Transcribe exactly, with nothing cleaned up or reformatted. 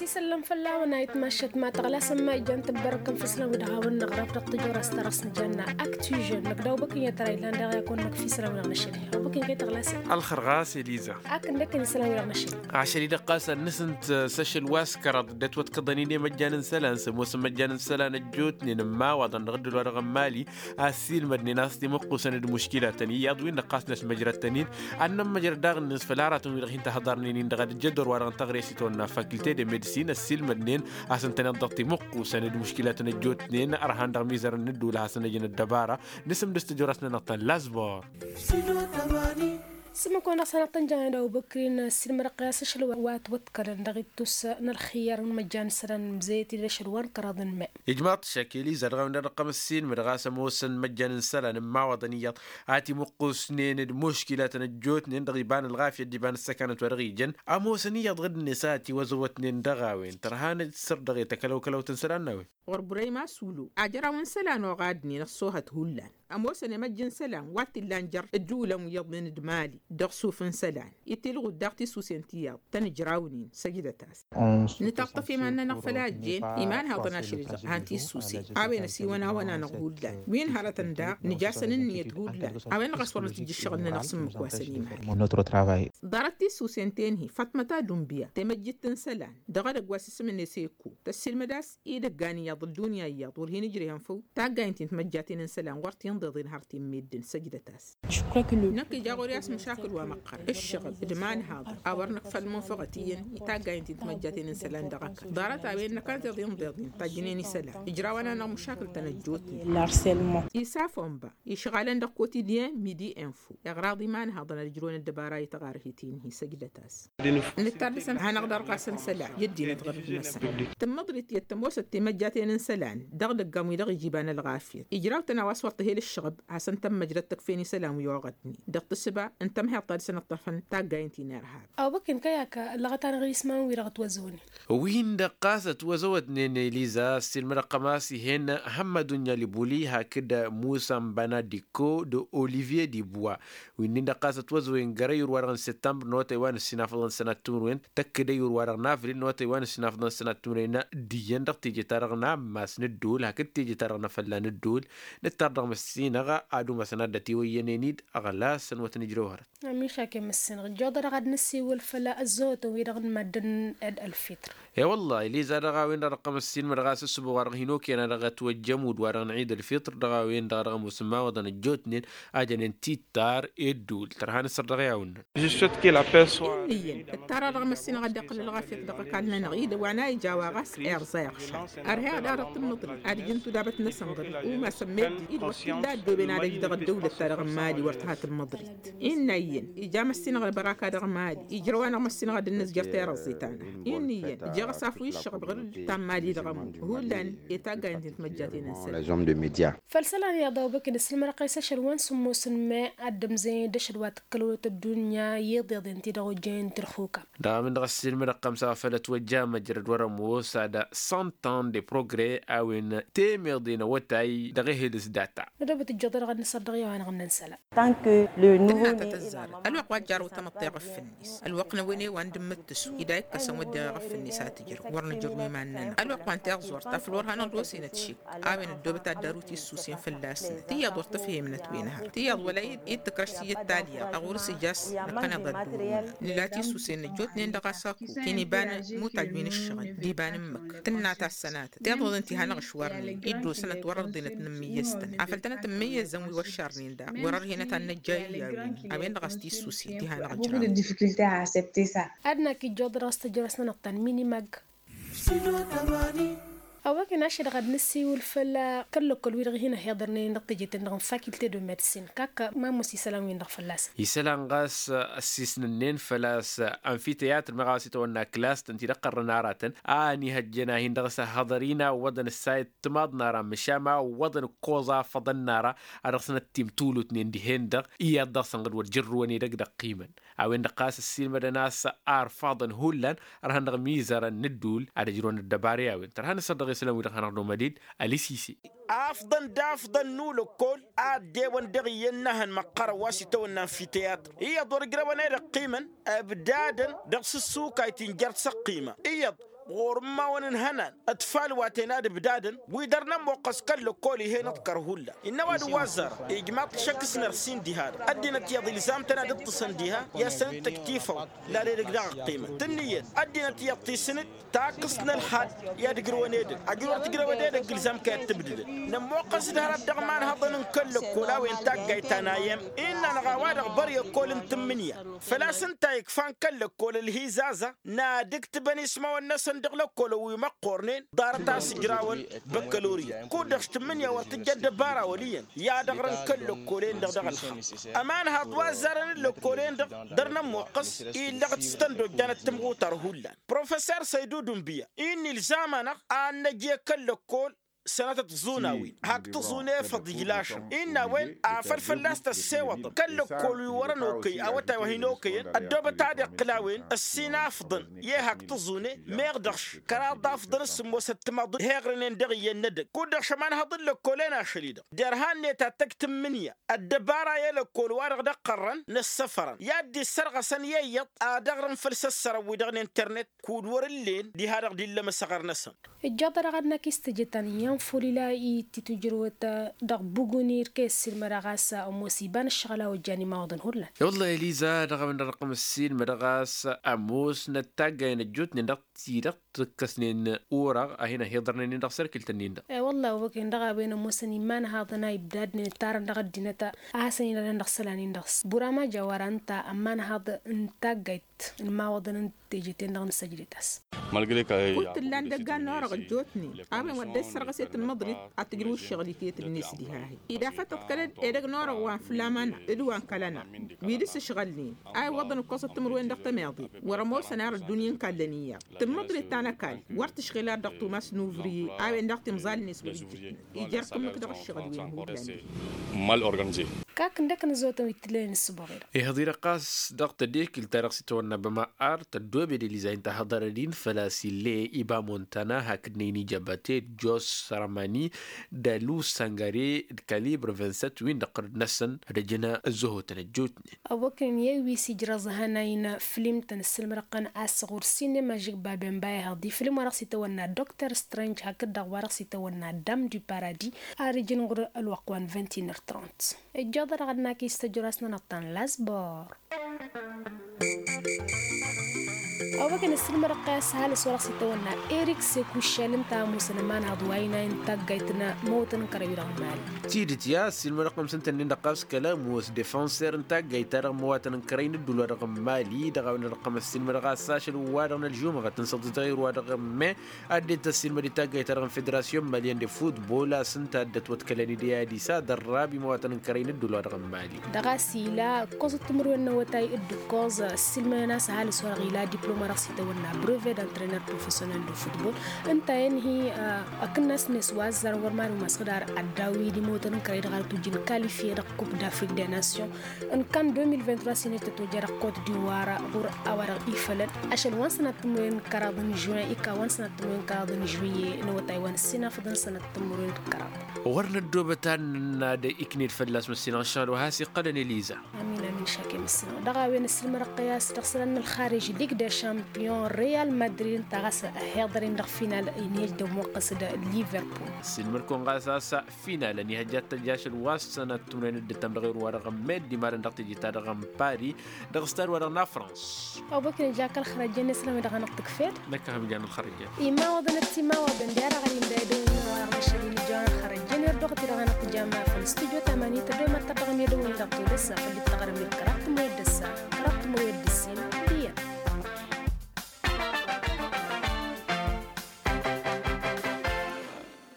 Isăllăm făll-a-wen a itmašăt ma tăɣlasăm ma ijan tăbbărăkăm făslan wi dăɣ-a-wen năɣraf dăɣ-tăjorăs tărăs nǝjanna aktižăn năkdăw băkănyăt răy lan dăɣ-i akăwăn năkfisălan wi dăɣ-năšăl. Băkăny kăy tăɣlasăm. Alxăr ɣas eliza. Akǝndăkăn isălan wi dăɣ-năšăl. Ašăl-i dăɣ-ɣasăn nǝsǝnt s-ašăl wa s-kăraḍ dd-ătwătkăḍăn-in i-măjjan n-isălan s-ămoosăn măjjan n-isălan ăjjootnen n-imawaḍăn dăɣ-dd-ălwa dăɣ-n mali. Assilmădnen a-s timǝqqusăn d-muškilatăn iyyăḍ-win-dăɣ ɣas năsmăjrăd-tăn-in ad-nămmăjrăd daɣ-net făll-aratăn-wi-dăɣ hin-tăhḍarnen-in dăɣ-ad-ǝjjădor wa-dăɣ n-taɣrest i-tawănna fakilte de medsin ăssiilmădnen a-s ǝntăneḍ dăɣ-timǝqqusăn d-muškilatăn ăjjootnen ărhan dăɣ-mizărăn n-ǝddǝwǝl a hasăn-ăjǝn ăddăbara. Nǝsǝm dăɣ-s tijorăsnănăɣ ta n-lasbor. Sǝmmǝk-wen-dăɣ s-hanăɣ-tăn-janen d-awbăkrin ăssiilmădăɣ-t i-a-s ašăl wa ătwăḍkălăn dăɣ-ittus n-ălxǝyyar n-imăjjan isălan mǝzăyăt-dd ašăl wa n-kăraḍ n-me. Ijmaḍ-t šak eliza dăɣ-a-wen-dăɣ dăɣ-tăm ăssiilmădăɣ a-s ămoosăn imăjjan n-isălan n-imawaḍăn iyyăḍ a timǝqqusnen d-muškilatăn ăjjootnen dăɣ-iba n-ălɣafyăt d-iba n-ǝssăkanăt wa dăɣ-ijăn ămoosăn iyyăḍ ɣǝd-net a tiwăzăwătnen dăɣ-a-wen tărha n-ad-săr dăɣ-e tăkălăwkălăwt n-isălan n-a-wen. Ɣur-burăyma sulu ajăraw n-isălan oɣadnen ăṣṣoohăt hullan ămoosăn i-măjj n-isălan wa t-illan jer-ǝddǝwǝlăn wi iyyăḍnen d-mali dăɣ-suf n-isălan itilɣud daɣ tisusen tiyyăḍ tăn-ǝjrawnen săjdăt-as. Nǝtaṭṭăf iman-nănăɣ făll-a ăjjeen iman haḍăn ašăl-i-dăɣ han tisusen a-wen ăsiwăn-awăn-anăɣ hullan wi n-hărătăn daɣ nǝj'-asăn ǝnniyăt hullan. A-wen-dăɣ a-s wăr nǝtǝjj ǝššăɣǝl-nănăɣ s-ǝmmǝk wa săn iman. Ḍarăt tisusen-ten-hi faṭmăt adumbiya temăjjit n-isălan dăɣ-edăgg wa s-isǝm-net eko tăssiilmăd a-s idăggan iyyăḍ ăddunya iyyăḍ wăr hin-ǝjrehăn făw taggaynt-in timăjjaten n-isălan wăr tinḍeḍen har ti n-meddǝn săjdăt-as. Năkk ija ɣur-i a-s măšakǝl wa măqqărăn ǝššăɣǝl d-imanhaḍăn a wăr nǝkfăl munfăɣăt iyyăn i-taggaynt-in timăjjaten n-isălan dăɣ-ăkall ḍarăt a-wen năkantăḍ inḍeḍen tajjǝnen isălan ǝjraw-anăɣ măšakǝl-tăn ăjjootnen. Isaf onba išɣalăn dăɣ-kotidyen midi info iɣraḍ imanhaḍăn ad-ǝjrăwăn ăddăbara i-taɣarhit-in-hi săjdăt-as. Nǝttar dăɣ-săn hanăɣ-ḍarɣasăn isălan i-ăddinăt ɣărd-năsăn tǝmmăḍrit iyyăt tămoosăt timăjjaten n-isălan dăɣ-idăggan wi dăɣ-ija iba n-ălɣafyăt ijraw-tăn a-wa s-wăr tǝhel ǝššăɣăb hasăn-tămmăjrăd tăkfen isălan wi oɣădnen dăɣ-tǝssǝba n-tămhăyăḍt ta dăɣ-săn ǝṭṭăfăn taggayen ti n-irhab. Awbăken kăy-ak ăllăɣăt-anăɣ isman-wi-dăɣ ătwăzăwnen. Win-dăɣ ɣas ătwăzăwătnen eliza ăssiilmădăɣ-tăm a-s ih'-en hămmădunya libuli hakd musa n-bana dikko d-olivye dibwa. Wi-nin-dăɣ ɣas ătwăzăwen găr ăyyur-wa-dăɣ n-săttămbăr n-awătay wa n-ǝssinafăḍăn sănat timǝrwen tăkk d-ăyyur-wa-dăɣ n-avril n-awătay wa n-ǝssinafăḍăn sănat timǝrwen d-iyyăn dăɣ-teje-ta-dăɣ n-ammas n-ǝddul hakd teje-ta-dăɣ n-afălla n-ǝddul. Nǝttar dăɣ-măssinăɣ ad-umasăn ad-dd-ătiwăyyănen-dd ăɣlas ănwăt nǝjrăw hărăt. Ămišak i-măssinăɣ ǝjjoḍăd dăɣ-ad-nǝsiwǝl făll-ăzzăwătăn-wi-dăɣ n-maddǝn ed ălfitr. E-wălla eliza dăɣ-a-wen-dăɣ dăɣ-tăm ăssiilmădăɣ a-s ăssuboɣ wa-dăɣ hin-okăyăn a dăɣ-ătwăjjăm ud-wa-dăɣ n-ɣid ălfitr dăɣ-a-wen-dăɣ dăɣ-ămoos n-imawaḍăn ăjjootnen. A jănen tittar i-ăddul tărha n-asăr dăɣ-i-a-wǝnnăn. Ǝnniyăn ǝttara dăɣ-măssinăɣ ad-dd-iqqǝl ălɣafyăt dăɣ-ăkall-nănăɣ-i d-wa n-a ija wa ɣas irẓa iɣšan. Ărheɣ-dd a-dăɣ tǝmmǝḍrit ad-ǝjǝn tudabăt-năsăn ɣǝr-i umasăn meddǝn-i d-wăr t-illa ăddooben ad-ăj dăɣ-ăddăwlăt-ta-dăɣ n-mali wăr tǝha tǝmmǝḍrit. Innă iyyăn ija măssinăɣ ălbăraka dăɣ-mali ijrăw-anăɣ măssinăɣ ad-dd-nǝzjăr tirăẓẓit-anăɣ. Innă iyyăn ija ɣas afǝw iššăɣăb ɣǝr-dd ta n-mali dăɣ-ămmu hullan i-taggayen-ti n-timăjjaten n-isălan. Făll-isălan iyyăḍ a obăkǝn ǝssǝlmădăɣ-t i-s ašăl wa n-sǝmmos n-me ad-dd-ămzăyăn d-ašăl wa tǝkkălăwăt ăddunya i-iḍeḍen-ti-dăɣ ojjăyăn tǝlxukam. Dăɣ-a-wen-dăɣ ăssiilmădăɣ-t ămsa făll-ătwăjja măjrăd wăr-ămoos ad-săntan de progre a-wen temeḍe n-awătay dăɣ-ehǝl s-data. Nădobăt ǝjjăḍ-dăɣ ad-nǝsăr dăɣ-i-a-wa-năɣ n-nǝnsăla. Tănna tăt-ăzzarăt ălwăqq wa jarrăw tamăḍt iɣǝf-net ălwăqq n-a-wen i-wa n-dd-mǝttǝsu-i d-a ikkăsăn wădden iɣǝf-net a tǝjrăw wăr nǝjrǝw iman-nănăɣ ălwăqq wa n-tiẓẓurt afăl wăr hanăɣ-dd-osenăt šik. A-wen ăddoobăt ad-dd-arǝw tisusen fălla-snăt tiyyăḍ wăr tǝfhemnăt wi n-hărăt tiyyăḍ wăla i-dd-tǝkrăš tiyyăt talya ăɣur-s ija a-s năkkăneḍ ad-dd-urǝwăn nǝla tisusen ăjjootnen dăɣ-a-s ăkko ti n-iba n-mutaj wi n-ǝššăɣǝl d-iba n-ǝmmǝk tǝnna tassănatăt tiḍăḍen ti hanăɣ-ǝšwarnen i-dd-osănăt wăr-ărḍenăt n-ǝmmǝyyăztăn afăl tănăt ǝmmǝyyăzăn wi wăššarnen daɣ wăr-ărhenăt ad-năjja i-iyyawin. A-wen-dăɣ a-s tisusen ti hanăɣ-ǝjrăwăn. Ad-năkk ijjuḍ dăɣ-s tăjrăsnănăɣ ta n-minimag. Ăwwăken ašăl-dăɣ ad-nǝsiwǝl făll-kăl-lăkkol wi-dăɣ hin-ăhiḍărnen dăɣ-teje-ten-dăɣ n-fakilte de medsin kak ma ămoos isălan-win-dăɣ fălla-săn. Isălan ɣas ăssiisnănnen făl-a-s anfiteyatr meɣ a-wa s-itawănna klas-tăn ti d-ăqqărrăn aratăn a ănihăjjăn a hin-dăɣ-s ăhhăḍăr-in a ǝwwăḍăn ǝssayăt timaḍ n-ara măšan ma ǝwwăḍăn ǝkkoẓ afăḍăn n-ara a dăɣ-săn ăttimtulutnen dihen-dăɣ iyyăḍ dăɣ-săn ɣǝd wăr jărrǝwăn edăgg dăɣ-ăqqimăn. A-wen-dăɣ ɣas ăssiilmădăn a-s arfaḍăn hullan ărhăn dăɣ-mizărăn n-ǝddul ad-ăjrăwăn ăddăbara i-a-wen tărha n-asăr dăɣ-isălan-wi-dăɣ hanăɣ-nomăd-dd ălisise. Afḍăn d-afḍăn n-ulăkkol a ăddewăn dăɣ-iyyăn n-ehăn măqqărăn wa s-itawănna n-fiteyatr iyyăḍ wăr ǝjrăwăn ed ăqqimăn ăbdadăn dăɣ-sǝssukayt ti n-jer-săqqima iyyăḍ ɣur-immawăn n-ihănan ătfal wa ten ad-ǝbdadăn wi dăr-nămmoqqăs kăl-lăkkol ih'-en aḍkăr hullan. Innă ăwadǝm wa ăzzarăn ijmaḍ-t šăkk s-nărsin diha-dăɣ ăddinăt iyyăḍ ilzam-tăn ad-ǝṭṭǝsăn diha i-ad-săn-dd-tǝktifăwăn. Lal edăgg daɣ ăqqimăn tǝnnǝyăt ăddinăt iyyăḍ tisǝn-dd takkǝst n-ălxal i-ad-ǝgrǝwăn edăgg ajrăwăr tǝjrăwăd edăgg ilzam-kăy ad-tǝbdǝdăn. Nămmoqqăs d-hărăt dăɣ-imanhăḍăn n-kăl-lăkkol a-wen taggayt ta n-ayăm innă-năɣ a-wa-dăɣ băr i-ăkkol n-tǝmmǝnǝya. Făl-a-s ǝnta ikfan kăl-lăkkol ălhizază n-ad-ǝktǝbăn ismawăn-năsăn dăɣ-lăkkolăn wi măqqornen ḍarăt a-s ǝjrawăn băkkălorya. Kud-dăɣ s-tǝmmǝnǝya wăr tǝjja ăddăbara wăl' iyyăn i-ad-ăɣrǝn kăl-lăkkolen-dăɣ dăɣ-ălxaqq. Ămanhaḍ wa ăzzarăn n-lăkkolen-dăɣ dăr-nămmuqqăs illăɣ-t s-tăn-dd-ojjanăt tǝmɣutar hullan. Professor săydu dunbǝya innă ilzam-anăɣ ad-năj i-kăl-lăkkol sănatăt tiẓunawin hak tiẓune făḍ ijlašăn. Innă a-wen afăl fălla-s tăssewăḍăm kăl-lăkkol wi wărăn okăy awătay wa hin-okăyăn ăddoobăt ad-iqqǝl a-wen ăssinafḍăn i-hak tiẓune meɣ dăɣ-š kăraḍ afḍăn s-sǝmmosăt timaḍ heɣrǝnen dăɣ-iyyăn n-edăgg. Kud-dăɣ šămanhăḍ n-lăkkolen ašăl-i-dăɣ derhan-net ad-tăj tǝmmǝnǝya ăddăbara i-lăkkol-wa-dăɣ d-ăqqărrăn n-ăssăfărăn i-ad-dd-issărɣăsăn i-iyyăḍ ad-ăɣrǝn făll-isăssărăn-wi-dăɣ n-internet. Kud wăr-ǝllen diha-dăɣ d-illăm ăsăɣăr-năsăn. Ǝjjaḍ-dăɣ ad-năkk istǝjǝtăn i-infulila i-ti tujrăwăt dăɣ-buguni d-kăy-ăssiilmădăɣ a-s ămoos iba n-ǝššăɣǝl a ojjan imawaḍăn hullan. I-wălla eliza dăɣ-a-wen-dăɣ dăɣ-tăm ăssiilmădăɣ a-s ămoos n-ăttaggayen ăjjootnen dăɣ-ti-dăɣ tǝkkăsnen orăɣ a hin-ăhiḍărnen-in dăɣ-sărkǝlt-nin-dăɣ. I-wălla a-wa băken dăɣ-a-wen ămoosăn imanhaḍăn a ibdadnen ǝttarăn dăɣ-ăddinăt a hasăn-inadăn dăɣ-isălan-in-dăɣ s-burama jawăra ǝnta ămanhaḍ n-taggayt n-imawăḍăn n-teje-ten-dăɣ n-săjdăt a-s. Kud t-ǝllan dăggan n-orăɣ ăjjootnen a-wen wăr dd-ăssărɣăset n-măḍnet ad-tǝjrǝw ǝššăɣǝl-i tetǝbnet diha-hi. Ida făttăt kăl-edăgg n-orăɣ wa n-flamana d-wa n-kălăna wi dăr-s ǝšɣălnen a iwwăḍăn ǝkkoẓăt timǝrwen dăɣ-tămeḍe. Wăr-ămoosăn ar ăddunya n-kallăn iyyăḍ tǝmmăḍnet ta n-ăkall wăr tǝšɣǝl ar dăɣ-tumas n-uvriye a-wen daɣ timẓal-net wăr-ǝjjǝtnen. Ija ărkǝmmǝk dăɣ-ǝššăɣǝl-wen hullan. Mal organize. Kak ǝndăkk n-ăzotăn wi t-tǝllăyăn s-sǝboɣ-i-dăɣ. Ihăḍ-i-dăɣ ɣas dăɣ-tedekǝlt-ta-dăɣ s-itawănna băma ar tăddoobed eliza inta hăḍărăd-in făl-a-s ill'-e iba montana hakd n-e-inija bate jos săramani d-alu săngare d-kalibr vingt-sept wi n-dăɣ-tărăd-năsăn ad-ăjăn ăzzăhotăn ăjjootnen. Ăwwăknen i-wi s-ijrăẓ hănay n-flim-tăn ǝssǝlmădăɣ-tăn a-s ɣur-sinema žǝgba bemba ihăḍ iflim wa dăɣ-s itawănna doctor strange hakd-dăɣ wa dăɣ-s itawănna dam du paradis. Ar ǝjǝn ɣur-ălwăqq wa n-vingt-et-un heures trente. Ǝjjăḍ-dăɣ ad-nakis tăjrasnănăɣ-tăn lasbor. Ăwwăknen ǝssǝlmădăɣ-t a-s ăhalǝs wa dăɣ-s itawănna erik sekuššel ǝnta a ămoosăn ămanhaḍ wa inayăn taggayt n-imăwătăn n-kărăy-wi dăɣ-n mali. Tidǝt ya ǝssǝlmădăɣ-t ămsǝntăn-in-dăɣ ɣas kăla ămoos defănser n-taggayt-ta-dăɣ n-imăwătăn n-kărăy n-ǝddul wa dăɣ-n mali dăɣ-a-wen-dăɣ ăqqăm ăssiilmădăɣ a-s ašăl wa-dăɣ n-ălžumăɣăt n-săḍǝtăɣ i-wa dăɣ-n me. Ad-dd-tăssiilmăd i-taggayt-ta-dăɣ n-federasyon malyen de futbol a-s ǝnta a dd-ătwăḍkălăn i-dăɣ i-ad-isa dăr-rabi imăwătăn n-kărăy n-ǝddul wa dăɣ-n mali. Dăɣ-a-s ila ǝkkoẓăt timǝrwen n-awătay d-ǝkkoẓ ǝssilmăyăn a-s ăhalǝs wa-dăɣ ila diplom wa dăɣ-s itawănna brevet d-antrenăr profesyonel de futbol. Ǝnta-en-hi ăkǝnnas-net wa ăzzarăn wăr mariw masăɣ d-ar ăddawi d-imăwătăn n-kărăy dăɣ-ad-tujǝn kalifye dăɣ-kup d-afrik de nasyon. Ǝnkan deux mille vingt-trois s-inăj tăt-ojja dăɣ-kot d'ivoire ɣur-a-wa-dăɣ ifălăn ašăl wa n-sănat timǝrwen n-kăraḍ n-žuin ika wa n-sănat timǝrwen n-kăraḍ n-žuiye n-awătay wa n-ăssinafăḍăn sănat timǝrwen d-kăraḍ. Wăr năddoobăt ad-nănna d-ikned fălla-s măssinăɣ ăššăɣǝl wa has-iqqălăn eliza. Amin amin šakem ǝssǝnăɣ dăɣ-a-wen ǝssǝlmădăɣ-t i-a-s dăɣ-isălan n-ălxarij lig d-ašampiyon real madrid ǝnta ɣas ăhiḍăr-in dăɣ-final inhej d-ămmuqqăs d-liverpool. Ǝssǝlmăd-kăwăn ɣas a-s final-ănihăjjat tăjj ašăl wa s-sănat timǝrwen d-ǝttăm dăɣ-erun wa dăɣ-ămmed d-imalăn dăɣ-teje-ta-dăɣ n-pari. Dăɣ-stad wa dăɣ-nafrans. Ăwwăknen ija kăl-xărăjjen n-esălan wi dăɣ-hanăɣ-tǝkfed. Năkk a ham-ijan ălxărăjjen. Imawăḍăn d-timawăḍăn d-i-ad-aɣălin d-edăwǝn wa dăɣ-năšăl inǝjjăwăn ălxărăjjen i-ărdăɣăt-i dăɣ-hanăɣ-tǝjam afăl stujo tamani tăddoy mad-tărdăɣăm i-edăwǝn-i dăɣ-todăs afăl dd-tăɣrăm.